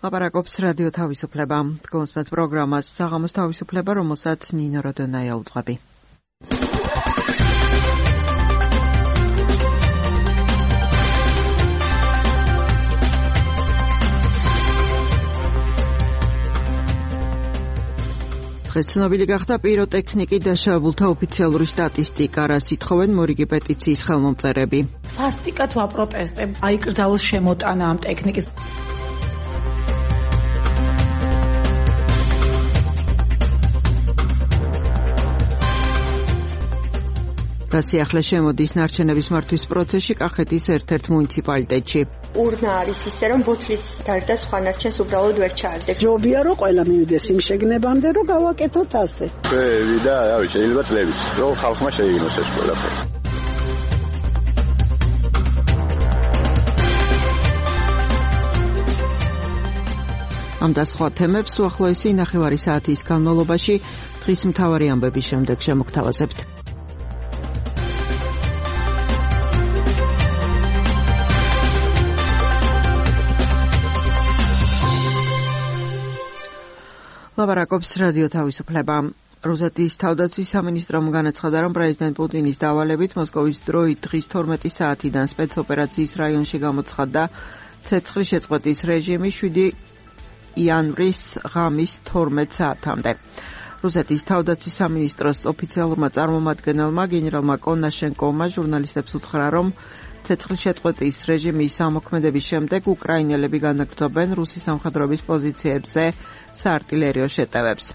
ლაპარაკობს რადიო თავისუფლება. გონსმეთ პროგრამას საღამოს თავისუფლება, რომელსაც ნინო როდონაია უძღვები. დღეს ცნობილი გახდა პიროტექნიკი დაშავებულთა ოფიციალური სტატისტიკა, რას ითხოვენ მორიგი პეტიციის ხელმომწერები. სასტიკად ვაპროტესტებ, აიკრძალოს შემოტანა ამ ტექნიკის. გასიახლე შემოდის ნარჩენების მართვის პროცესში კახეთის ერთ-ერთ მუნიციპალიტეტში. ურნა არის ისე, რომ ბოთლის გარდა სხვა ნარჩენს უბრალოდ ვერ ჩაარდებ. ჯობია რომ ყველა მივიდეს იმ შეგნებამდე, რომ გავაკეთოთ ასე. და შეიძლება წლებით, რომ ხალხმა შეიგნოს ეს ყველაფერი. ამ და სხვა თემებს უახლოესი ნახევარი საათის განმავლობაში დღის მთავარი ამბების შემდეგ შემოგთავაზებთ. ლაპარაკობს რადიო თავისუფლება. რუსეთის თავდაცვის სამინისტრომ განაცხადა, რომ პრეზიდენტ პუტინის დავალებით მოსკოვის დროით დღის 12 საათიდან სპეცოპერაციის რაიონში გამოცხადდა ცეცხლის შეწყვეტის რეჟიმი 7 იანვრის ღამის 12 საათამდე. რუსეთის თავდაცვის სამინისტროს ოფიციალურმა წარმომადგენელმა გენერალმა კონაშენკოვმა ჟურნალისტებს უთხრა, რომ ცეცხლის შეწყვეტის რეჟიმის ამოქმედების შემდეგ უკრაინელები განაგრძობენ რუსის სამხედროების პოზიციებზე საარტილერიო შეტევებს.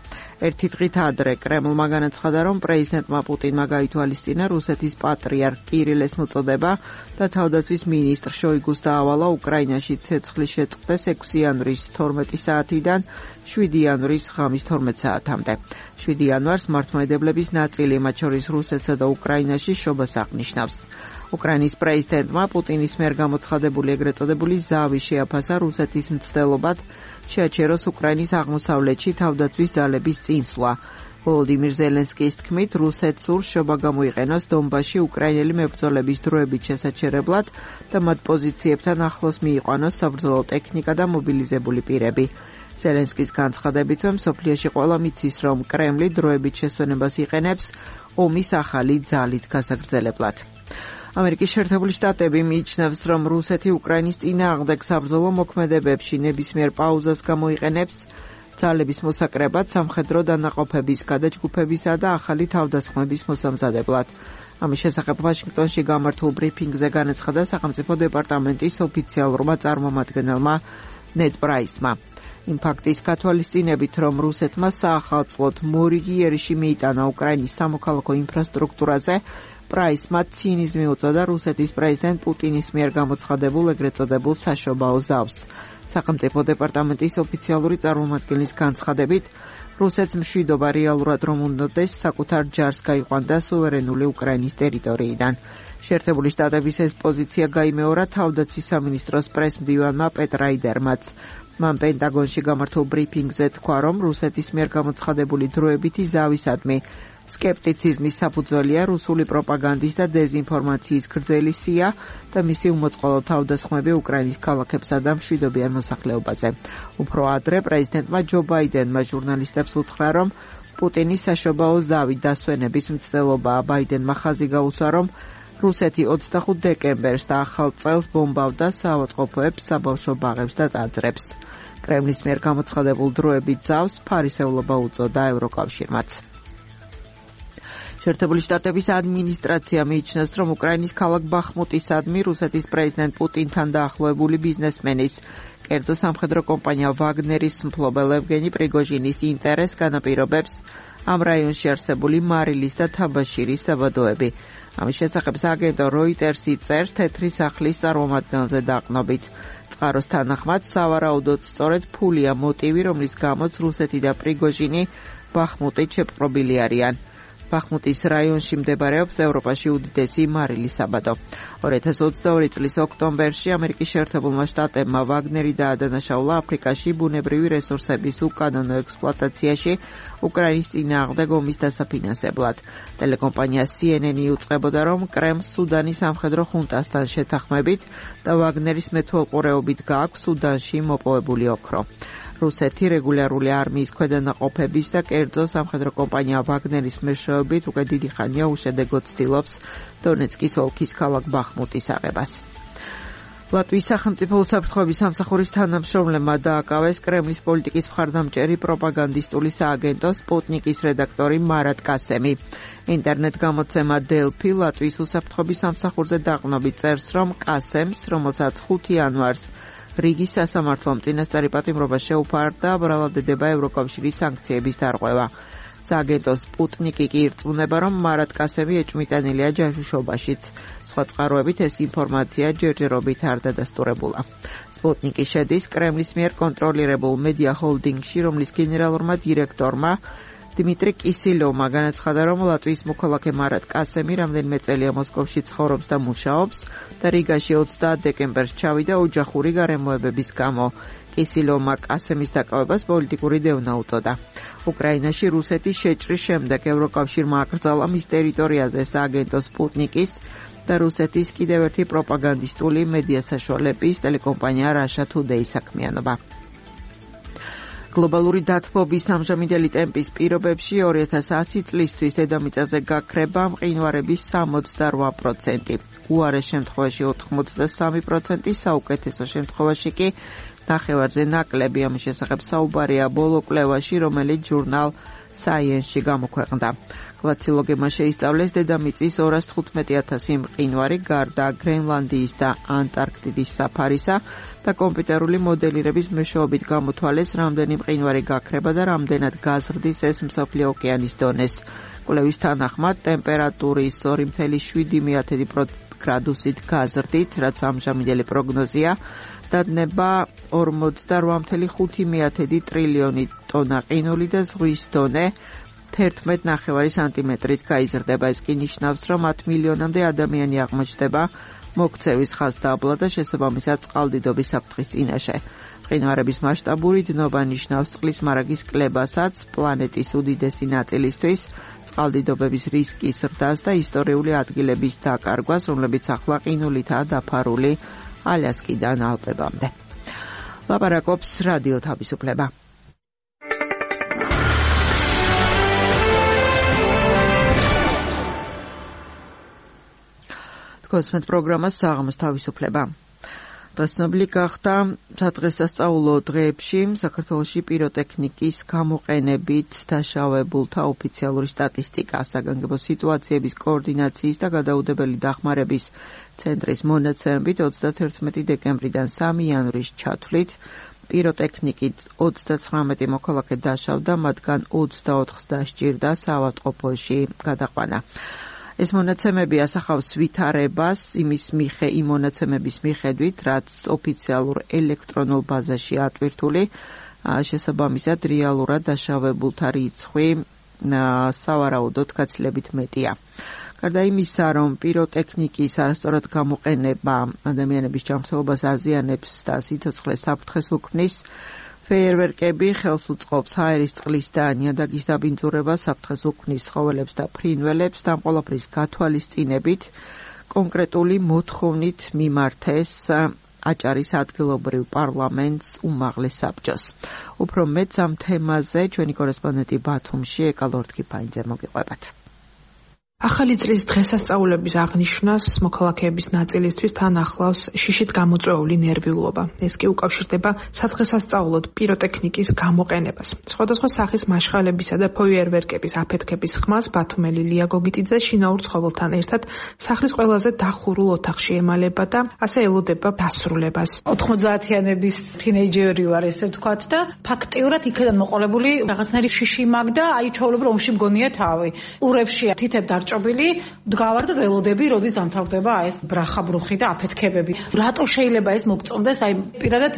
ერთი დღით ადრე კრემლმა განაცხადა, რომ პრეზიდენტმა პუტინმა გაითვალისწინა რუსეთის პატრიარქ კირილეს მოწოდება და თავდაცვის მინისტრ შოიგუს დაავალა უკრაინაში ცეცხლის შეწყვეტას 6 იანვრის 12 საათიდან 7 იანვრის ღამის 12 საათამდე. 7 იანვარს მართლმადიდებლების ნაწილი, მათ შორის რუსეთსა და უკრაინაში შობას აღნიშნავს. უკრაინის პრეზიდენტმა პუტინის მიერ გამოცხადებული ეგრეთ წოდებული ზავი შეაფასა რუსეთის მცდელობად შეაჩეროს უკრაინის აღმოსავლეთში თავდაცვის ძალების წინსვლა. ვოლოდიმირ ზელენსკის თქმით, რუსეთს სურს შობა გამოიყენოს დონბასში უკრაინელი მებრძოლების დროებით შესაჩერებლად და მათ პოზიციებთან ახლოს მიიყვანოს საბრძოლო ტექნიკა და მობილიზებული პირები. ზელენსკის განცხადებით, მსოფლიოში ყველა მიცის, რომ კრემლი დროებით შესვენებას იყენებს ომის ახალი ძალით გასაგრძელებლად. ამერიკის შეერთებული შტატები მიიჩნევს, რომ რუსეთი უკრაინის წინააღმდეგ საბრძოლო მოქმედებებში ნებისმიერ პაუზას გამოიყენებს ძალების მოსაკრებად, სამხედრო დანაყოფების გადაჯგუფებისა და ახალი თავდასხმების მოსამზადებლად. ამის შესახებ ვაშინგტონში გამართულ ბრიფინგზე განაცხადა სახელმწიფო დეპარტამენტის ოფიციალურმა წარმომადგენელმა ნედ პრაისმა. იმ ფაქტის გათვალისწინებით, რომ რუსეთმა საახალწლოდ მორიგი იერიში მიიტანა უკრაინის სამოქალაქო ინფრასტრუქტურაზე, პრაისმა ცინიზმი უწოდა რუსეთის პრეზიდენტ პუტინის მიერ გამოცხადებულ ეგრეთ წოდებულ საშობაო ზავს. სახელმწიფო დეპარტამენტის ოფიციალური წარმომადგენლის განცხადებით, რუსეთს მშვიდობა რეალურად რომ უნდოდეს საკუთარ ჯარს გაიყვანდა სუვერენული უკრაინის ტერიტორიიდან. შეერთებული შტატების ეს პოზიცია გაიმეორა თავდაცვის სამინისტროს პრესმდივანმა პეტ რაიდერმაც. მან პენტაგონში გამართულ ბრიფინგზე თქვა, რომ რუსეთის მიერ გამოცხადებული დროებითი ზავისადმი სკეპტიციზმის საფუძველია რუსული პროპაგანდის და დეზინფორმაციის გრძელი სია და მისი უმოწყალო თავდასხმები უკრაინის ქალაქებსა და მშვიდობიან მოსახლეობაზე. უფრო ადრე პრეზიდენტმა ჯო ბაიდენმა ჟურნალისტებს უთხრა, რომ პუტინის საშობაო ზავი დასვენების მცდელობაა. ბაიდენმა ხაზი გაუსვა, რომ რუსეთი 25 დეკემბერს და ახალ წელს ბომბავდა საავადმყოფოებს, საბავშვო ბაღებს და ტაძრებს. კრემლის მიერ გამოცხადებულ დროებით ზავს ფარისევლობა უწოდა ევროკავშირმაც. შეერთებული შტატების ადმინისტრაცია მიიჩნევს, რომ უკრაინის ქალაქ ბახმუტისადმი რუსეთის პრეზიდენტ პუტინთან დაახლოებული ბიზნესმენის, კერძო სამხედრო კომპანია ვაგნერის მფლობელ ევგენი პრიგოჟინის ინტერესს განაპირობებს ამ რაიონში არსებული მარილის და თაბაშირის საბადოები. ამის შესახებ სააგენტო როიტერსი წერს თეთრი სახლის წარმომადგენელზე დაყნობით. წყაროს თანახმად, სავარაუდოდ სწორედ ფულია მოტივი, რომლის გამოც რუსეთი და პრიგოჟინი ბახმუტით შეპყრობილი არიან. ბახმუტის რაიონში მდებარეობს ევროპაში უდიდესი მარილის საბადო. 2022 წლის ოქტომბერში ამერიკის შეერთებულმა შტატებმა ვაგნერი დაადანაშაულა აფრიკაში ბუნებრივი რესურსების უკანონო ექსპლუატაციაში უკრაინის წინააღმდეგ ომის დასაფინანსებლად. ტელეკომპანია CNN იუწყებოდა, რომ კრემლს სუდანის სამხედრო ხუნტასთან შეთანხმებით და ვაგნერის მეთვალყურეობით გააქვს სუდანში მოპოვებული ოქრო. რუსეთი რეგულარული არმიის ქვედანაყოფების და კერძო სამხედრო კომპანია ვაგნერის მეშვეობით უკვე დიდი ხანია უშედეგოდ ცდილობს დონეცკის ოლქის ქალაქ ბახმუტის აღებას. ლატვიის სახელმწიფო უსაფრთხოების სამსახურის თანამშრომლებმა დააკავეს კრემლის პოლიტიკის მხარდამჭერი პროპაგანდისტული სააგენტო სპუტნიკის რედაქტორი მარატ კასემი. ინტერნეტ გამოცემა დელფი ლატვიის უსაფრთხოების სამსახურზე დაყრდნობით წერს, რომ კასემს, რომელსაც 5 იანვარს რიგის სასამართლომ წინასწარი პატიმრობა შეუფარდა, ბრალდებდება ევროკავშირის სანქციების დარღვევა. სააგენტო სპუტნიკი კი ირწმუნება, რომ მარატ კასემი ეჭვმიტანილია ჯაშუშობაშიც. სხვა წყაროებით ეს ინფორმაცია ჯერჯერობით არ დადასტურებულა. სპუტნიკი შედის კრემლის მიერ კონტროლირებულ მედია ჰოლდინგში, რომლის გენერალურმა დირექტორმა დიმიტრი კისილოვმა განაცხადა, რომ ლატვიის მოქალაქე მარატ კასემი რამდენიმე წელია მოსკოვში ცხოვრობს და მუშაობს და რიგაში 30 დეკემბერს ჩავიდა ოჯახური გარემოებების გამო. კისილოვმა კასემის დაკავებას პოლიტიკური დევნა უწოდა. უკრაინაში რუსეთის შეჭრის შემდეგ ევროკავშირმა აკრძალა მის ტერიტორიაზე სააგენტო სპუტნიკის და რუსეთის კიდევ ერთი პროპაგანდისტული მედია საშუალების ტელეკომპანია Russia Today საქმიანობა. გლობალური დათბობის ამჟამინდელი ტემპის პირობებში 2010 წლისთვის დედამიწაზე გაქრება მყინვარების 68%, უარეს შემთხვევაში 83%, საუკეთესო შემთხვევაში კი ნახევარზე ნაკლები. ამის შესახებ საუბარია ბოლო კვლევაში, რომელიც ჟურნალ Science-ში გამოქვეყნდა. კლასოლოგებმა შეისწავლეს დედამიწის 215,000 მყინვარი გარდა გრენლანდიის და ანტარქტიდის საფარისა და კომპიუტერული მოდელირების მეშვეობით გამოთვალეს, რამდენი მყინვარი გაქრება და რამდენად გაზრდის ეს მსოფლიო ოკეანის დონეს. კვლევის თანახმად ტემპერატურის 2,7 გრადუსით გაზრდით, რაც ამჟამინდელი პროგნოზია, დადნება 48,5 ტრილიონი ტონა ყინული და ზღვის დონე 11,9 სანტიმეტრით გაიზრდება. ეს კი ნიშნავს, რომ 10 მილიონამდე ადამიანი აღმოჩნდება მოქცევის ხაზდაბლა და შესაბამისად წყალდიდობის საფრთხის წინაშე. მყინვარების მასშტაბური დნობა ნიშნავს წყლის მარაგის კლებასაც პლანეტის უდიდესი ნაწილისთვის, წყალდიდობების რისკის ზრდას და ისტორიული ადგილების დაკარგვას, რომლებიც ახლა ყინულითაა დაფარული ალიასკიდან ალპებამდე. ლაპარაკობს რადიო თავისუფლება. თქოსმეთ პროგრამას საღამოს თავისუფლება. დღესნობილი გახდა სადღესასწაულო დღეებში საქართველოში პიროტექნიკის გამოყენებით დაშავებულთა ოფიციალური სტატისტიკა. საგანგებო სიტუაციების კოორდინაციის და გადაუდებელი დახმარების ცენტრის მონაცემებით 31 დეკემბრიდან 3 იანვრის ჩათვლით პიროტექნიკით 39 მოქალაქე დაშავდა, მათგან 24-ს დასჭირდა საავადმყოფოში გადაყვანა. ეს მონაცემები ასახავს ვითარებას იმ მონაცემების მიხედვით, რაც ოფიციალურ ელექტრონულ ბაზაში ატვირთული, შესაბამისად რეალურად დაშავებულთა რიცხვი სავარაუდოდ გაცილებით მეტია. გარდა იმისა, რომ პიროტექნიკის არასწორად გამოყენება ადამიანების ჯანმრთელობას აზიანებს და სიცოცხლეს საფრთხეს უქმნის, ფეიერვერკები ხელს უწყობს ჰაერის წყლის და ნიადაგის დაბინძურებას, საფრთხეს უქმნის ცხოველებს და ფრინველებს და ამ ყველაფრის გათვალისწინებით კონკრეტული მოთხოვნით მიმართეს აჭარის ადგილობრივ პარლამენტს უმაღლეს საბჭოს. უფრო მეტს ამ თემაზე ჩვენი კორესპონდენტი ბათუმში ეკალორთქიფაინძე მოგიყვებათ. ახალი წლის დღესასწაულების აღნიშვნას მოქალაქეების ნაწილისთვის თან ახლავს შიშით გამოწვეული ნერვიულობა. ეს კი უკავშირდება სადღესასწაულოდ პიროტექნიკის გამოყენებას. სხვადასხვა სახის მაშხალებისა და ფეიერვერკების აფეთქების ხმას ბათუმელი ლია გოგიტიძე შინაურ ცხოველთან ერთად სახლის ყველაზე დახურულ ოთახში ემალება და ასე ელოდება დასრულებას. 90-იანების თინეიჯერი ვარ, ესე ვთქვათ და ფაქტიურად იქიდან მოყოლებული რაღაცნაირი შიში მაგდა, აი ჩაოლებრო ომში მგონია თავი. ურებში თითებ ჭობილი დგავარ და ველოდები, როდის დამთავრდება ეს ბრახაბრუხი და აფეთქებები. რატო შეიძლება ეს მოგწონდეს? აი პირადად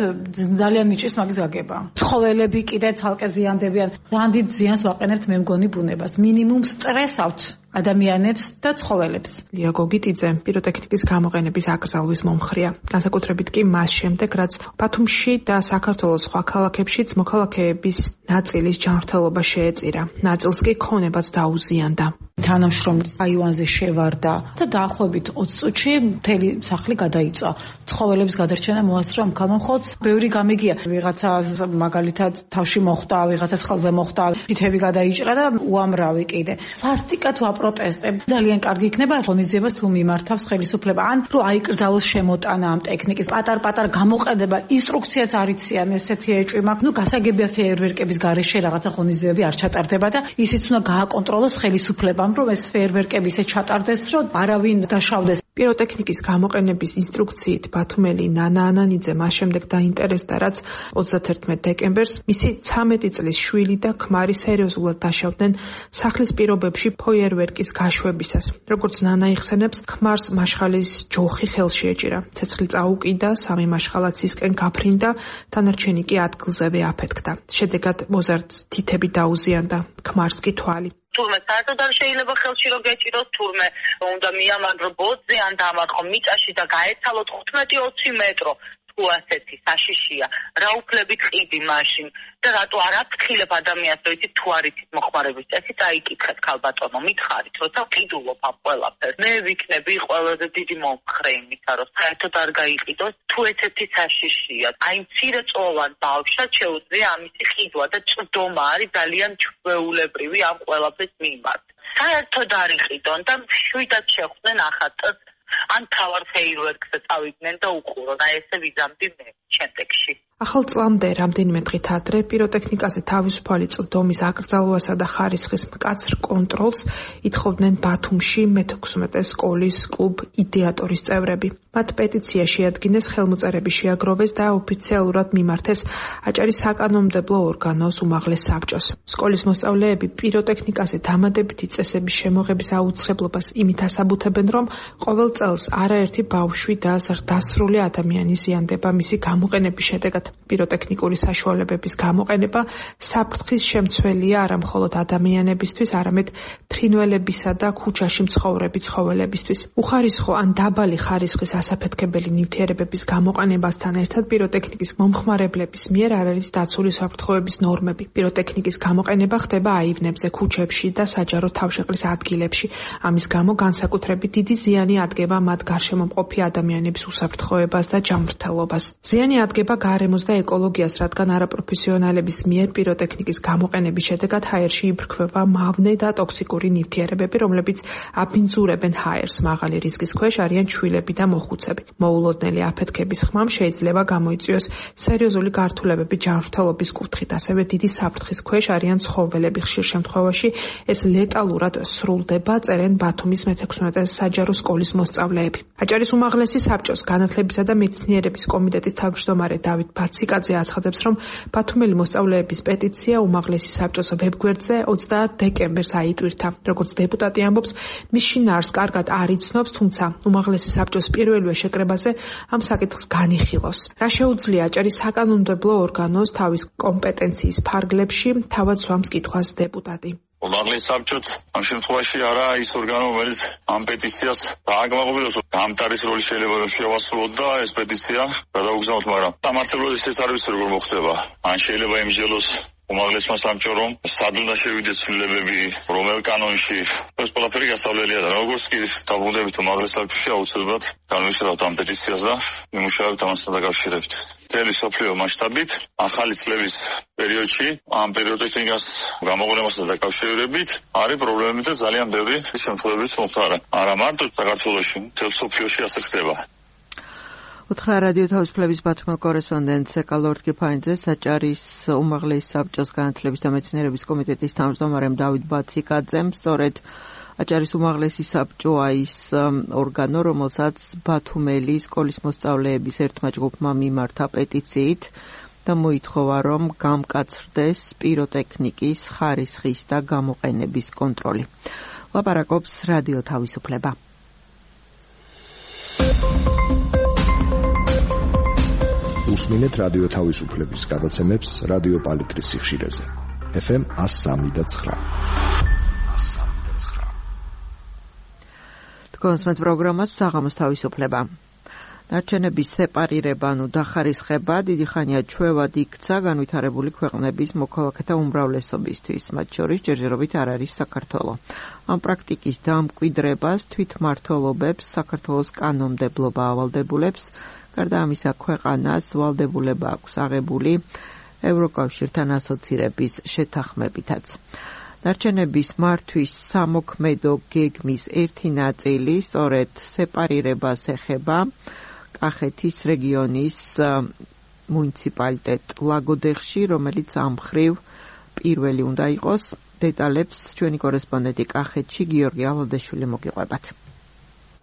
ძალიან მიჭის მაგის გაგება. ცხოველები კიდე ცალკე ზიანდებიან. ძალიან დიდ ზიანს ვაყენებთ მე მგონი ბუნებას. მინიმუმ სტრესავთ. ადამიანებს და ცხოველებს. ლია გოგიტიძე პიროტექნიკის გამოყენების აკრძალვის მომხრეა. განსაკუთრებით კი მას შემდეგ, რაც ბათუმში და საქართველოს სხვა ქალაქებშიც მოქალაქეების ნაწილის ჯანმრთელობა შეეწირა. ნაწილს კი ქონებაც დაუზიანდა. თანამშრომლის აივანზე შევარდა და დაახლოებით 20 წუთში მთელი სახლი გადაიწვა. ცხოველების გადარჩენა მოასწრო ამ ქალმომხოლს. ბევრი გამიგია. ვიღაცა მაგალითად თავში მოხვდა, ვიღაცას ხელზე მოხვდა, თითები გადაიჭრა და უამრავი კიდე. სასტიკად ვაპროტესტებ. ძალიან კარგი იქნება ღონისძიებას თუ მიმართავს ხელისუფლება. ან რო აიკრძალოს შემოტანა ამ ტექნიკის პატარ-პატარ გამოყენება, ინსტრუქციაც არ იციან, ესეთი ეჭვი მაქვს. გასაგებია ფეერვერკების გარეშე რაღაცა ღონისძიებები არ ჩატარდება და ისიც უნდა გააკონტროლოს ხელისუფლებამ, რომ ეს ფეერვერკები ისე ჩატარდეს, რომ არავინ დაშავდეს. პიროტექნიკის გამოყენების ინსტრუქციით ბათუმელი ნანა ანანიძე მას შემდეგ დაინტერესდა, რაც 31 დეკემბერს მისი 13 წლის შვილი და ქმარი სერიოზულად დაშავდნენ სახლის პირობებში ფეერვერკის გაშვებისას. როგორც ნანა იხსენებს, ქმარს მაშხალის ჯოხი ხელში ეჭირა. ცეცხლი წაუკიდა, სამი მაშხალაც ისკენ გაფრინდა, დანარჩენი კი ადგილზევე აფეთქდა. შედეგად მოზარდს თითები დაუზიანდა, ქმარს კი თვალი. თურმე საერთოდ არ შეიძლება ხელში რომ გეჭიროს, თურმე უნდა მიამაგრო ბოძზე ან დამარხო მიწაში და გაეცალოთ 15-20 მეტრო. თუ ასეთი საშიშია, რა უფლებით ყიდი მაშინ და რატო არ აფრთხილებ ადამიანს, რომ იცით თუ არ იცით მოხმარების წესი, წაიკითხეთ ქალბატონო, მითხარით, როცა ყიდულობ ამ ყველაფერს. მე ვიქნები ყველაზე დიდი მომხრე იმისა, რომ საერთოდ არ გაიყიდოს, თუ ესეთი საშიშია. აი მცირე წოვან ბავშვად შეუძლია ამისი ყიდვა და წვდომა არის ძალიან ჩვეულებრივი ამ ყველაფრის მიმართ. საერთოდ არ იყიდონ და შვიდად შეხვდნენ ახატს ან თავარ ფეერვერკზე წავიდნენ და უყურონ. აი ესე ვიზამდი მე შემდეგში. ახალ წლამდე რამდენიმე დღით ადრე პიროტექნიკაზე თავისუფალი წვდომის აკრძალვასა და ხარისხის მკაცრ კონტროლს ითხოვდნენ ბათუმში მე-16 სკოლის კლუბ იდეატორის წევრები. მათ პეტიცია შეადგინეს, ხელმოწერები შეაგროვეს და ოფიციალურად მიმართეს აჭარის საკანონმდებლო ორგანოს უმაღლეს საბჭოს. სკოლის მოსწავლეები პიროტექნიკაზე დამატებითი წესების შემოღების აუცილებლობას იმით ასაბუთებენ, რომ ყოველ წელს არაერთი ბავშვი და ზრდასრული ადამიანი ზიანდება მისი გამოყენების შედეგად. პიროტექნიკური საშუალებების გამოყენება საფრთხის შემცველია არა მხოლოდ ადამიანებისთვის, არამედ ფრინველებისა და ქუჩაში მცხოვრები ცხოველებისთვის. უხარისხო ან დაბალი ხარისხის ასაფეთქებელი ნივთიერებების გამოყენებასთან ერთად პიროტექნიკის მომხმარებლების მიერ არ არის დაცული საფრთხოების ნორმები. პიროტექნიკის გამოყენება ხდება აივნებზე, ქუჩებში და საჯარო თავშეყრის ადგილებში. ამის გამო განსაკუთრებით დიდი ზიანი ადგება მათ გარშემო მყოფი ადამიანების უსაფრთხოებას და ჯანმრთელობას. ზიანი ადგება გარემოს და ეკოლოგიას, რადგან არაპროფესიონალების მიერ პიროტექნიკის გამოყენების შედეგად ჰაერში იბრძვება მავნე და ტოქსიკური ნივთიერებები, რომლებიც აბინძურებენ ჰაერს. მაღალი რისკის ქვეშ არიან ჩვილები და მოხუცები. მოულოდნელი აფეთქების ხმამ შეიძლება გამოიწვიოს სერიოზული გართულებები ჯანმრთელობის კუთხით, ასევე დიდი საფრთხის ქვეშ არიან ცხოველები. ხშირ შემთხვევაში ეს ლეტალურად სრულდება, წერენ ბათუმის მე-16 საჯარო სკოლის მოსწავლეები. აჭარის უმაღლესი საბჭოს განათლებისა და მეცნიერების კომიტეტის თავმჯდომარე დავით ბაციკაძე აცხადებს, რომ ბათუმელი მოსწავლეების პეტიცია უმაღლესი საბჭოს ვებგვერდზე 20 დეკემბერს აიტვირთა. როგორც დეპუტატი ამბობს, მის შინაარსს კარგად არ იცნობს, თუმცა უმაღლესი საბჭოს პირველივე შეკრებაზე ამ საკითხს განიხილავს. რა შეუძლია აჭარის საკანონმდებლო ორგანოს თავის კომპეტენციის ფარგლებში, თავად სვამს კითხვას დეპუტატი. უმაღლეს საბჭოც ამ შემთხვევაში არა ის ორგანო, რომელიც ამ პეტიციას დააგმაღებდეს. დამტარის როლი შეიძლება რომ შევასრულოთ და ეს პეტიცია გადაუგზავნოთ, მაგრამ სამართლებრივად ეს არ ვიცი როგორ მოხდება. ან შეიძლება იმჯელოს უმაღლესმა საბჭომ, რომ სად უნდა შევიდეს ცვლილებები, რომელ კანონში. ეს ყველაფერი გასავლელია და როგორც კი დავუბრუნდებით უმაღლეს საბჭოში, აუცილებლად განვიხილავთ ამ პეტიციას და იმუშავებთ ამასთან დაკავშირებით. მთელი მსოფლიო მასშტაბით ახალი წლების პერიოდში ამ პიროტექნიკას გამოყენებასთან დაკავშირებით არის პრობლემები და ძალიან ბევრი შემთხვევებით მოხდა. არა მარტო საქართველოში, მთელ მსოფლიოში ასე ხდება. უთხრა რადიო თავისუფლების ბათუმის კორესპონდენტ ლორდ კიფაინძეს, აჭარის უმაღლესი საბჭოს განათლების და მეცნიერების კომიტეტის თავმჯდომარემ დავით ბაციკაძემ. სწორედ აჭარის უმაღლესი საბჭოა ის ორგანო, რომელსაც ბათუმელი სკოლის მოსწავლეების ერთმა ჯგუფმა მიმართა პეტიციით და მოითხოვა, რომ გამკაცრდეს პიროტექნიკის ხარისხის და გამოყენების კონტროლი. ლაპარაკობს რადიო თავისუფლება. უსმინეთ რადიო თავისუფლების გადაცემებს რადიო პალიტრის სიხშირეზე. FM 103.9. Თქვენს პროგრამას საღამოს თავისუფლება. ნარჩენების სეპარირება, დახარისხება დიდი ხანია ჩვევად იქცა განვითარებული ქვეყნების მოქალაქეთა უმრავლესობისთვის, მათ შორის ჯერჯერობით არ არის საქართველო. ამ პრაქტიკის დამკვიდრებას თვითმმართველობებს, საქართველოს კანონმდებლობა ავალდებულებს, გარდა ამისა ქვეყანას ვალდებულება აქვს აღებული ევროკავშირთან ასოცირების შეთანხმებითაც. ნარჩენების მართვის სამოქმედო გეგმის ერთი ნაწილი სწორედ სეპარირებას ეხება კახეთის რეგიონის მუნიციპალიტეტ ლაგოდეხში, რომელიც ამ მხრივ პირველი უნდა იყოს. დეტალებს ჩვენი კორესპონდენტი კახეთში გიორგი ალოდეშვილი მოგიყვებათ.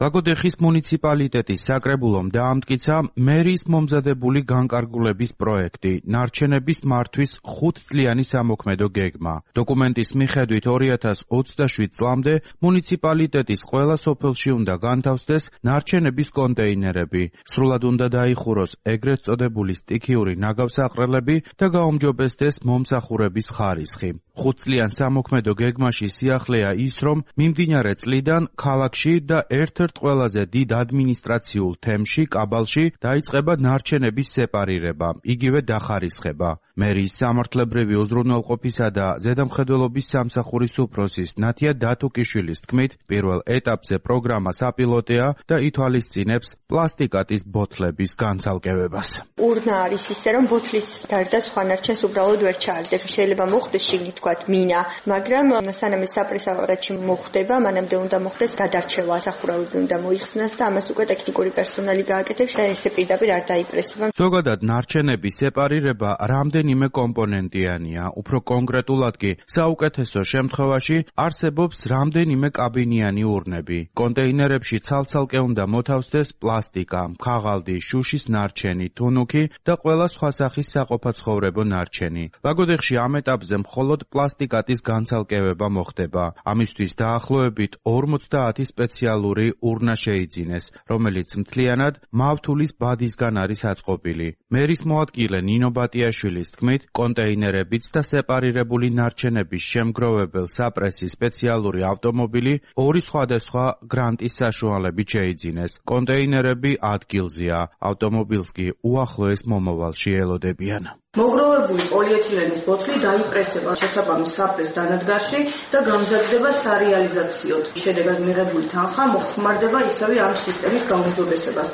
ლაგოდეხის მუნიციპალიტეტის საკრებულომ დაამტკიცა მერის მომზადებული განკარგულების პროექტი ნარჩენების მართვის 5 წლიანი სამოქმედო გეგმა. დოკუმენტის მიხედვით 2027 წლამდე მუნიციპალიტეტის ყველა სოფელში უნდა განთავსდეს ნარჩენების კონტეინერები. სრულად უნდა დაიხუროს ეგრეთ წოდებული სტიქიური ნაგავსაყრელები და გაუმჯობესდეს მომსახურების ხარისხი. 5 წლიან სამოქმედო გეგმაში სიახლეა ის, რომ მიმდინარე წლიდან ქალაქში და ერთ-ერთ ყველაზე დიდ ადმინისტრაციულ თემში, კაბალში, დაიწყება ნარჩენების სეპარირება, იგივე დახარისხება. მერის სამართლებრივი უზრუნველყოფისა და ზედამხედველობის სამსახურის უფროსის ნათია დათუკიშვილის თქმით, პირველ ეტაპზე პროგრამა საპილოტეა და ითვალისწინებს პლასტიკატის ბოთლების განცალკევებას. ურნა არის ისე, რომ ბოთლის გარდა სხვა ნარჩენს უბრალოდ ვერ ჩააგდეთ. შეიძლება მოხდეს შიგნით თქვათ მინა, მაგრამ სანამ ეს საპრესავარატში მოხდება, მანამდე უნდა მოხდეს გადარჩევა, ასახურავები უნდა მოიხსნას და ამას უკვე ტექნიკური პერსონალი გააკეთებს და ესე პირდაპირ არ დაიპრესება. ზოგადად ნარჩენების სეპარირება რამდენიმე კომპონენტიანია, უფრო კონკრეტულად კი საუკეთესო შემთხვევაში არსებობს რამდენიმე კაბინიანი ურნები. კონტეინერებში ცალ-ცალკე უნდა მოთავსდეს პლასტიკა, ქაღალდი, შუშის ნარჩენი, თუნუქი და ყველა სხვა სახის საყოფაცხოვრებო ნარჩენი. ლაგოდეხში ამ ეტაპზე მხოლოდ პლასტიკატის განცალკევება მოხდება. ამისთვის დაახლოებით 50 სპეციალური ურნა შეიძინეს, რომელიც მთლიანად მავთულის ბადისგან არის აწყობილი. მერის მოადგილე ნინო ბატიაშვილის თქმით, კონტეინერებიც და სეპარირებული ნარჩენების შემგროვებელ საპრესის სპეციალური ავტომობილი 2 სხვადასხვა გრანტის საშუალებით შეიძინეს. კონტეინერები ადგილზეა, ავტომობილს კი უახლოეს მომავალში ელოდებიან. მოგროვებული პოლიეთილენის ბოთლი დაიპრესება შესაბამის საპრეს დანადგარში და გამზადდება სარეალიზაციოდ. შედეგად მიღებული თანხა მოხმარდება ისევე ამ სისტემის გაუმჯობესებას,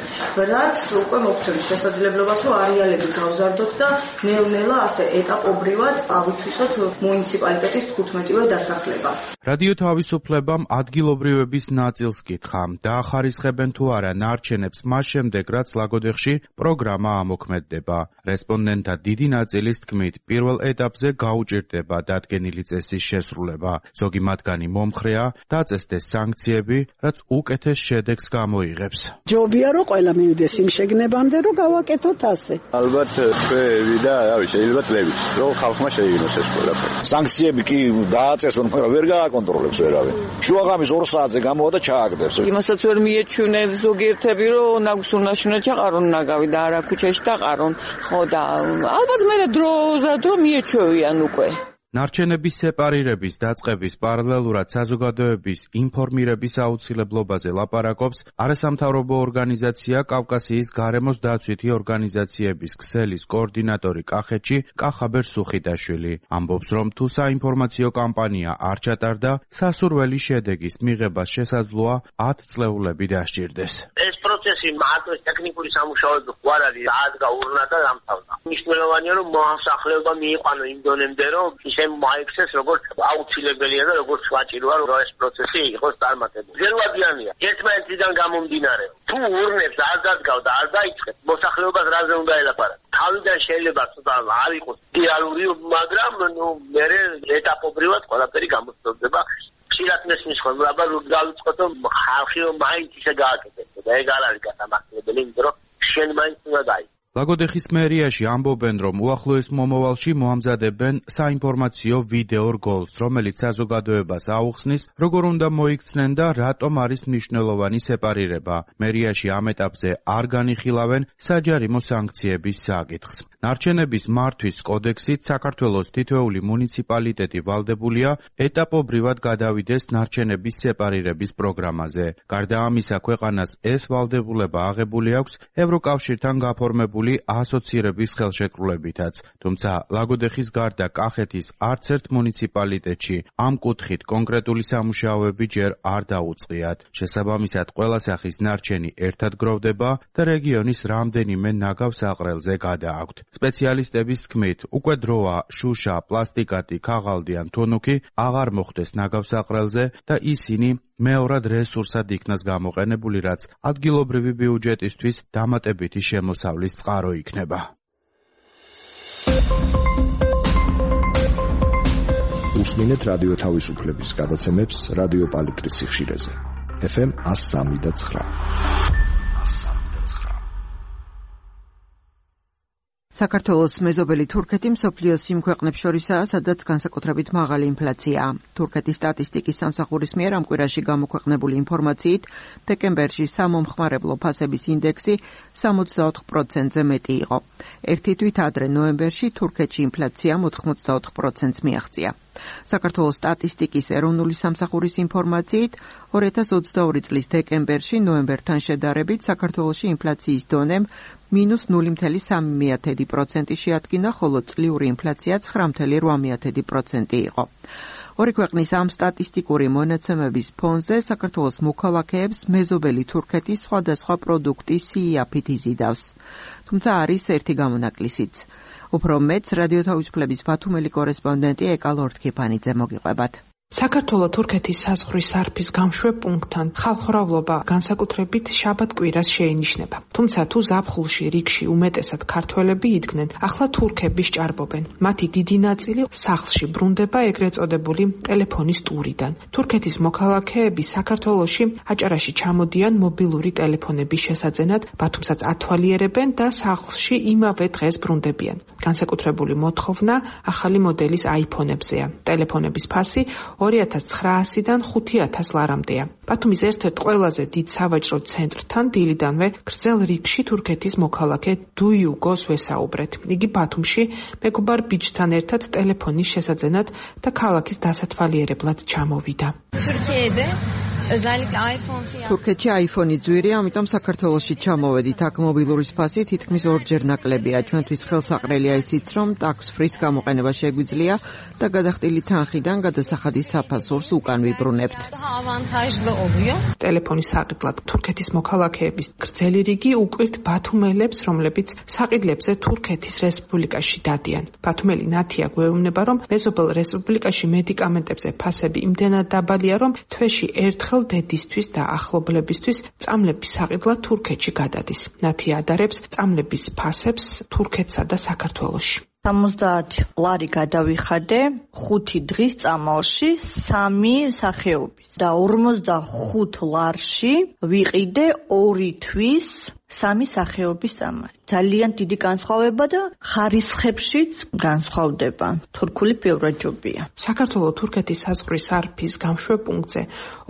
რაც უკვე მოგცემს შესაძლებლობას, რომ არეალები გავზარდოთ და ნელ-ნელა ასე ეტაპობრივად ავითვისოთ მუნიციპალიტეტის 15-ვე დასახლება. რადიო თავისუფლებამ ადგილობრივების ნაწილს კითხა, დაახარისხებენ თუ არა ნარჩენებს მას შემდეგ, რაც ლაგოდეხში პროგრამა ამოქმედდება. რესპონდენტთა დიდი ნაწილის თქმით, პირველ ეტაპზე გაუჭირდება დადგენილი წესის შესრულება. ზოგი მათგანი მომხრეა, დაწესდეს სანქციები, რაც უკეთეს შედეგს გამოიღებს. ჯობია რომ ყველა მივიდეს იმ შეგნებამდე, რომ გავაკეთოთ ასე. ალბათ ჩვენი და შეიძლება წლებით, რომ ხალხმა შეიგნოს ეს ყველაფერი. სანქციები კი დააწესონ, მაგრამ ვერ გააკონტროლებს ვერავინ. შუაღამის 2 საათზე გამოვა და ჩააგდებს. იმასაც ვერ მიეჩვენენ ზოგიერთები, რომ ნაგვის უნდა შუნა ჩაყარონ ნაგავი და არა ქუჩაში დაყარონ. ხო და ალბათ მე დრო მიეჩვევიან უკვე. ნარჩენების სეპარირების დაწყების პარალელურად საზოგადოების ინფორმირების აუცილებლობაზე ლაპარაკობს არასამთავრობო ორგანიზაცია კავკასიის გარემოს დაცვითი ორგანიზაციების ქსელის კოორდინატორი კახეთში კახაბერ სუხიტაშვილი. ამბობს, რომ თუ საინფორმაციო კამპანია არ ჩატარდა, სასურველი შედეგის მიღებას შესაძლოა 10 წლეულები დასჭირდეს. ეს პროცესი მარტოს ტექნიკური სამუშაოები ხوار არის, დაადგა ურნა და დამთავრდა. მნიშვნელოვანია, რომ მოსახლეობა მიიყვანო იმ დონემდე, რომ მაიქცეს როგორც აუცილებელია და როგორც ვაჭიროა რომ ეს პროცესი იყოს წარმატებული. ძელვადიანია. ერთმანეთიდან გამომდინარე. თუ ურნებს არ დადგავ და არ დაიწყებ, მოსახლეობას რაზე უნდა ელაპარაკო. თავიდან შეიძლება ცოტა არ იყოს რეალური, მაგრამ მე ეტაპობრივად ყველაფერი გამოსწორდება. ხშირად მესმის ხოლმე, აბა რომ დავიწყოთ, ხალხი რომ მაინც ისე გააკეთებს და ეგ არ არის გასამართლებელი, იმიტომ რომ შენ მაინც უნდა დაიწყო. ლაგოდეხის მერიაში ამბობენ, რომ უახლოეს მომავალში მოამზადებენ საინფორმაციო ვიდეო რგოლს, რომელიც საზოგადოებას აუხსნის, როგორ უნდა მოიქცნენ და რატომ არის მნიშვნელოვანი სეპარირება. მერიაში ამ ეტაპზე არ განიხილავენ საჯარიმო სანქციების საკითხს. ნარჩენების მართვის კოდექსით საქართველოს თითოეული მუნიციპალიტეტი ვალდებულია ეტაპობრივად გადავიდეს ნარჩენების სეპარირების პროგრამაზე. გარდა ამისა, ქვეყანას ეს ვალდებულება აღებული აქვს ევროკავშირთან გაფორმებული ასოცირების ხელშეკრულებითაც. თუმცა ლაგოდეხის გარდა კახეთის არც ერთ მუნიციპალიტეტში ამ კუთხით კონკრეტული სამუშაოები ჯერ არ დაუწყიათ. შესაბამისად, ყველა სახის ნარჩენი ერთად გროვდება და რეგიონის რამდენიმე ნაგავ საყრელზე გადააქვთ. სპეციალისტების თქმით, უკვე დროა შუშა, პლასტიკატი, ქაღალდი ან თუნუქი აღარ მოხდეს ნაგავ საყრელზე და ისინი მეორად რესურსად იქნას გამოყენებული, რაც ადგილობრივი ბიუჯეტისთვის დამატებითი შემოსავლის წყარო იქნება. უსმინეთ რადიო თავისუფლების გადაცემებს რადიო პალიტრის სიხშირეზე. FM 103.9. საქართველოს მეზობელი თურქეთი მსოფლიოს იმ ქვეყნებს შორისაა, სადაც განსაკუთრებით მაღალი ინფლაციაა. თურქეთის სტატისტიკის სამსახურის მიერ ამ კვირაში გამოქვეყნებული ინფორმაციით, დეკემბერში სამომხმარებლო ფასების ინდექსი 64%-ზე მეტი იყო. ერთი თვით ადრე ნოემბერში თურქეთში ინფლაციამ 84%-ს მიაღწია. საქართველოს სტატისტიკის ეროვნული სამსახურის ინფორმაციით, 2022 წლის დეკემბერში ნოემბერთან შედარებით საქართველოში ინფლაციის დონემ -0.3% შეადგინა, ხოლო წლიური ინფლაცია 9.8% იყო. ორი ქვეყნის ამ სტატისტიკური მონაცემების ფონზე საქართველოს მოქალაქეებს მეზობელი თურქეთის სხვადასხვა პროდუქტის სიაფით იზიდავს. თუმცა არის ერთი გამონაკლისიც. უფრო მეც რადიო თავისუფლების ბათუმელი კორესპონდენტი ეკა ლორთქიფანიძე მოგიყვებათ. საქართველოს თურქეთის საზღვრის სარფის გამშვებ პუნქტთან ხალხმრავლობა განსაკუთრებით შაბათ-კვირას შეინიშნება. თუმცა თუ ზაფხულში რიგში უმეტესად ქართველები იდგნენ, ახლა თურქები სჭარბობენ. მათი დიდი ნაწილი სახლში ბრუნდება ეგრეთ წოდებული ტელეფონის ტურიდან. თურქეთის მოქალაქეები საქართველოში აჭარაში ჩამოდიან მობილური ტელეფონების შესაძენად, ბათუმსაც ათვალიერებენ და სახლში იმავე დღეს ბრუნდებიან. განსაკუთრებული მოთხოვნა ახალი მოდელის iPhone-ებზეა. ტელეფონების ფასი 2900-დან 5000 ლარამდეა. ბათუმის ერთ-ერთ ყველაზე დიდ სავაჭრო ცენტრთან დილიდანვე გრძელ რიგში თურქეთის მოქალაქე დუიუგოს ვესაუბრეთ. იგი ბათუმში მეგობარ ბიჭთან ერთად ტელეფონის შესაძენად და ქალაქის დასათვალიერებლად ჩამოვიდა. თურქეთში iPhone-ი ძვირია, ამიტომ საქართველოში ჩამოვედით. აქ მობილურის ფასი თითქმის ორჯერ ნაკლებია. ჩვენთვის ხელსაყრელია ისიც, რომ tax-free გამოყენება შეგვიძლია და გადახდილი თანხიდან გადასახადის საფასურს უკან ვიბრუნებთ. ტელეფონის საყიდლად თურქეთის მოქალაქეების გრძელი რიგი უკვირთ ბათუმელებს, რომლებიც საყიდლებზე თურქეთის რესპუბლიკაში დადიან. ბათუმელი ნათია გვეუბნება, რომ მეზობელ რესპუბლიკაში მედიკამენტებზე ფასები იმდენად დაბალია, რომ თვეში ერთხელ დედისთვის და ახლობლებისთვის წამლების საყიდლად თურქეთში გადადის. ნათია ადარებს წამლების ფასებს თურქეთსა და საქართველოში. 70 ლარი გადავიხადე 5 დღის წამალში 3 სახეობის და 45 ლარში ვიყიდე 2 თვის 3 სახეობის წამალი. ძალიან დიდი განსხვავება და ხარისხებშიც განსხვავდება. თურქული ბევრაჯობია. საქართველოს თურქეთის საზღვრის სარფის გამშვებ პუნქტზე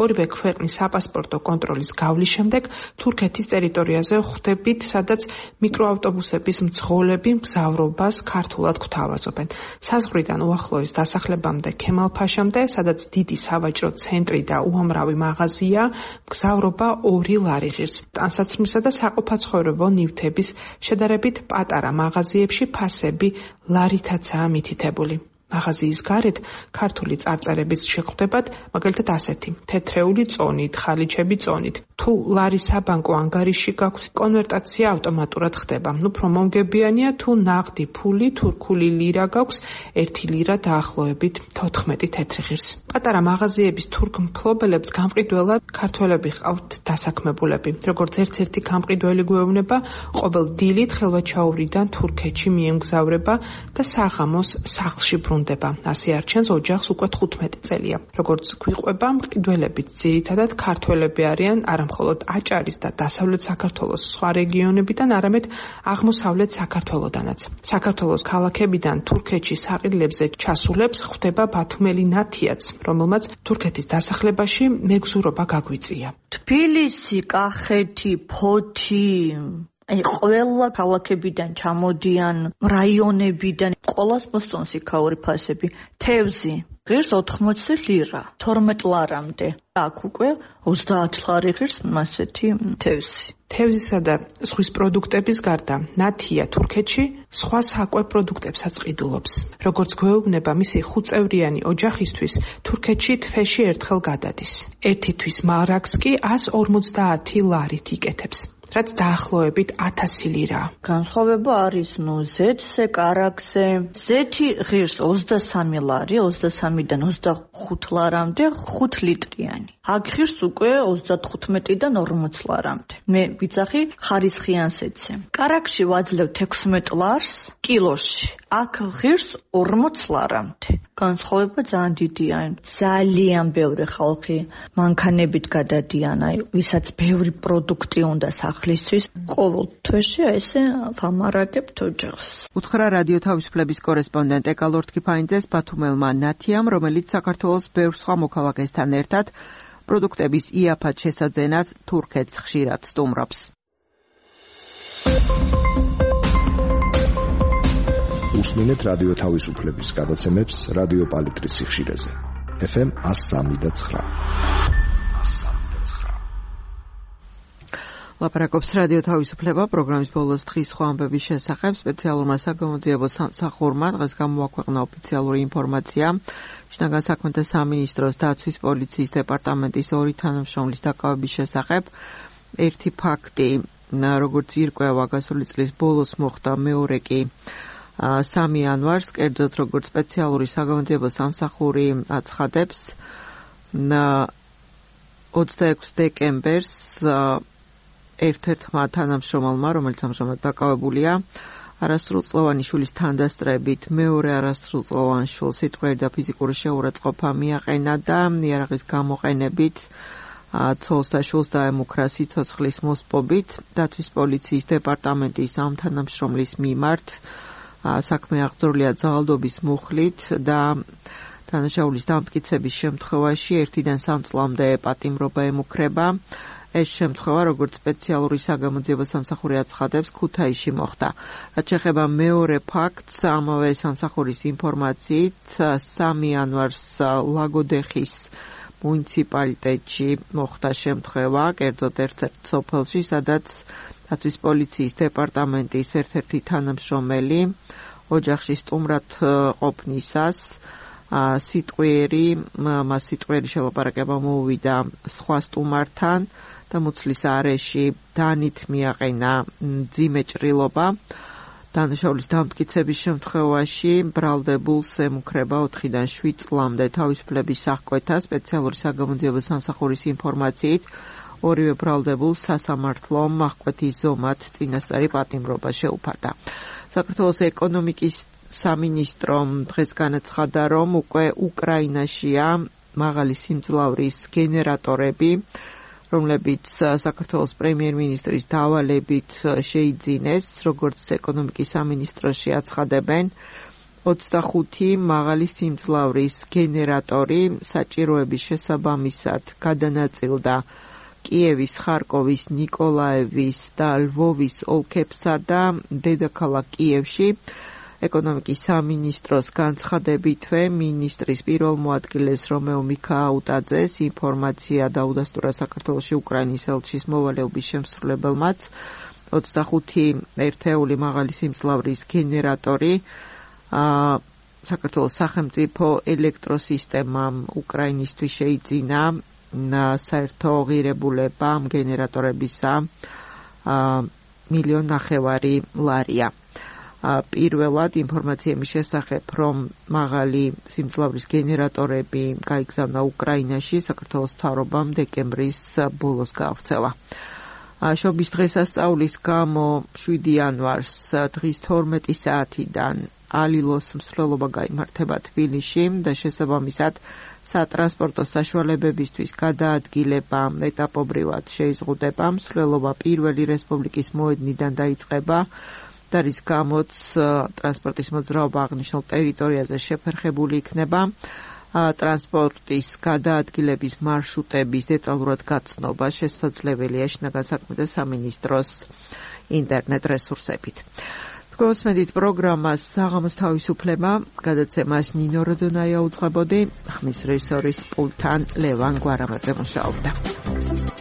ორივე ქვეყნის საპასპორტო კონტროლის გავლის შემდეგ თურქეთის ტერიტორიაზე ხვდებით, სადაც მიკროავტობუსების მძღოლები მგზავრობას ქართულად გვთავაზობენ. საზღვრიდან უახლოეს დასახლებამდე ქემალ-ფაშამდე, სადაც დიდი სავაჭრო ცენტრი და უამრავი მაღაზია, მგზავრობა 2 ლარი ღირს. ტანსაცმლისა და საყოფაცხოვრებო ნივთების შედარებით პატარა მაღაზიებში ფასები ლარითაცაა მითითებული. მაღაზიის გარეთ ქართული წარწერებიც შეხვდებათ, მაგალითად ასეთი: თეთრეული წონით, ხალიჩები წონით. თუ ლარის საბანკო ანგარიში გაქვთ, კონვერტაცია ავტომატურად ხდება. უფრო მომგებიანია თუ ნაღდი ფული, თურქული ლირა გაქვს, 1 ლირა დაახლოებით 14 თეთრი ღირს. პატარა მაღაზიების თურქ მფლობელებს გამყიდველად ქართველები ჰყავთ დასაქმებულები. როგორც ერთ-ერთი გამყიდველი გვეუბნება, ყოველ დილით ხელვაჩაურიდან თურქეთში მიემგზავრება და საღამოს სახლში ბრუნდება. ასე არჩენს ოჯახს უკვე 15 წელია. როგორც გვიყვება, მყიდველები ძირითადად ქართველები არიან, არა მხოლოდ აჭარის და დასავლეთ საქართველოს სხვა რეგიონებიდან, არამედ აღმოსავლეთ საქართველოდანაც. საქართველოს ქალაქებიდან თურქეთში საყიდლებზე ჩასულებს ხვდება ბათუმელი ნათიაც, რომელმაც თურქეთის დასახლებაში მეგზურობა გაგვიწია. თბილისი, კახეთი, ფოთი, აი ყველა ქალაქებიდან ჩამოდიან, რაიონებიდან, ყოველს მოსწონს იქაური ფასები. თევზი ღირს 80 ლირა, 12 ლარამდე. აქ უკვე 30 ლარი ღირს მასეთი თევზი. თევზისა და ზღვის პროდუქტების გარდა ნათია თურქეთში სხვა საკვებ პროდუქტებსაც ყიდულობს. როგორც გვეუბნება მისი 5-წევრიანი ოჯახისთვის თურქეთში თვეში ერთხელ გადადის. ერთი თვის მარაგს კი 150 ლარით იკეთებს. რაც დაახლოებით 1000 ლირაა. განსხვავება არის ზეთზე, კარაგზე. ზეთი ღირს 23 ლარი, 23-დან 25 ლარამდე 5 ლიტრიანი. აქ ღირს უკვე 35-დან 40 ლარამდე. მე ვიცახი ხარისხიან ზეთზე. კარაგში ვაძლევ 16 ლარს კილოში. აქ ღირს 40 ლარამდე. განსხვავება ძალიან დიდია. ძალიან ბევრი ხალხი მანქანებით გადადიან, აი ვისაც ბევრი პროდუქტი უნდა სახლისთვის, ყოველ თვეში ესე ვამარაგებთ ოჯახს. უთხრა რადიო თავისუფლების კორესპონდენტ ეკალორ თქიფანიძეს ბათუმელმა ნათიამ, რომელიც საქართველოს ბევრ სხვა მოქალაქესთან ერთად პროდუქტების იაფად შესაძენად თურქეთს ხშირად სტუმრობს. უსმინეთ რადიო თავისუფლების გადაცემებს რადიო პალიტრის სიხშირეზე. FM 103.9. ლაპარაკობს რადიო თავისუფლება პროგრამის ბოლოს დღის სხვა ამბების შესახებ. სპეციალურმა საგამოძიებო სამსახურმა დღეს გამოაქვეყნა ოფიციალური ინფორმაცია. შინაგან საქმეთა სამინისტროს დაცვის პოლიციის დეპარტამენტის 2 თანამშრომლის დაკავების შესახებ. ერთი ფაქტი, როგორც ირკვევა, გასული წლის ბოლოს მოხდა, მეორე კი 3 იანვარს, კერძოდ როგორც სპეციალური საგამოძიებო სამსახური აცხადებს, 26 დეკემბერს ერთ-ერთმა თანამშრომელმა, რომელიც ამჟამად დაკავებულია, არასრულწლოვანი შვილის თანდასწრებით მეორე არასრულწლოვან შვილს სიტყვიერი და ფიზიკური შეურაცხყოფა მიაყენა და იარაღის გამოყენებით ცოლს და შვილს დაემუქრა სიცოცხლის მოსპობით. დაცვის პოლიციის დეპარტამენტის ამ თანამშრომლის მიმართ საქმე აღძრულია ძალადობის მუხლით და დანაშაულის დამტკიცების შემთხვევაში 1-დან 3 წლამდე პატიმრობა ემუქრება. ეს შემთხვევა, როგორც სპეციალური საგამოძიებო სამსახური აცხადებს, ქუთაისში მოხდა. რაც შეეხება მეორე ფაქტს, ამავე სამსახურის ინფორმაციით, 3 იანვარს ლაგოდეხის მუნიციპალიტეტში მოხდა შემთხვევა, კერძოდ ერთ-ერთ სოფელში, სადაც დაცვის პოლიციის დეპარტამენტის ერთ-ერთი თანამშრომელი ოჯახში სტუმრად ყოფნისას მას სიტყვიერი შელაპარაკება მოუვიდა სხვა სტუმართან და მუცლის არეში დანით მიაყენა მძიმე ჭრილობა. დანაშაულის დამტკიცების შემთხვევაში ბრალდებულს ემუქრება 4-დან 7 წლამდე თავისუფლების აღკვეთა. სპეციალური საგამოძიებო სამსახურის ინფორმაციით, ორივე ბრალდებულს სასამართლო აღკვეთის ზომად წინასწარი პატიმრობა შეუფარდა. საქართველოს ეკონომიკის სამინისტრომ დღეს განაცხადა, რომ უკვე უკრაინაშია მაღალი სიმძლავრის გენერატორები, რომლებიც საქართველოს პრემიერ-მინისტრის დავალებით შეიძინეს, როგორც ეკონომიკის სამინისტროში აცხადებენ, 25 მაღალი სიმძლავრის გენერატორი საჭიროების შესაბამისად გადანაწილდა კიევის, ხარკოვის, ნიკოლაევის და ლვოვის ოლქებსა და დედაქალაქ კიევში. ეკონომიკის სამინისტროს განცხადებითვე მინისტრის პირველ მოადგილეს რომეო მიქაუტაძეს ინფორმაცია დაუდასტურა საქართველოში უკრაინის ელჩის მოვალეობის შემსრულებელმაც. 25 ერთეული მაღალი სიმძლავრის გენერატორი საქართველოს სახელმწიფო ელექტროსისტემამ უკრაინისთვის შეიძინა საერთო ღირებულება ამ გენერატორებისა 1,5 მილიონი ლარია. პირველად ინფორმაცია იმის შესახებ, რომ მაღალი სიმძლავრის გენერატორები გაიგზავნა უკრაინაში, საქართველოს მთავრობამ დეკემბრის ბოლოს გაავრცელა. შობის დღესასწაულის გამო 7 იანვარს დღის 12 საათიდან ალილოს მსვლელობა გაიმართება თბილისში და შესაბამისად სატრანსპორტო საშუალებებისთვის გადაადგილება ეტაპობრივად შეიზღუდება. მსვლელობა პირველი რესპუბლიკის მოედნიდან დაიწყება და რის გამოც ტრანსპორტის მოძრაობა აღნიშნულ ტერიტორიაზე შეფერხებული იქნება. ტრანსპორტის გადაადგილების მარშრუტების დეტალურად გაცნობა შესაძლებელია შინაგან საქმეთა სამინისტროს ინტერნეტ რესურსებით. გოსმედით პროგრამას საღამოს თავისუფლება, გადაცემას ნინო როდონაია უძღვებოდი, ხმის რეჟისორის პულტთან ლევან გვარამაძე მუშაობდა.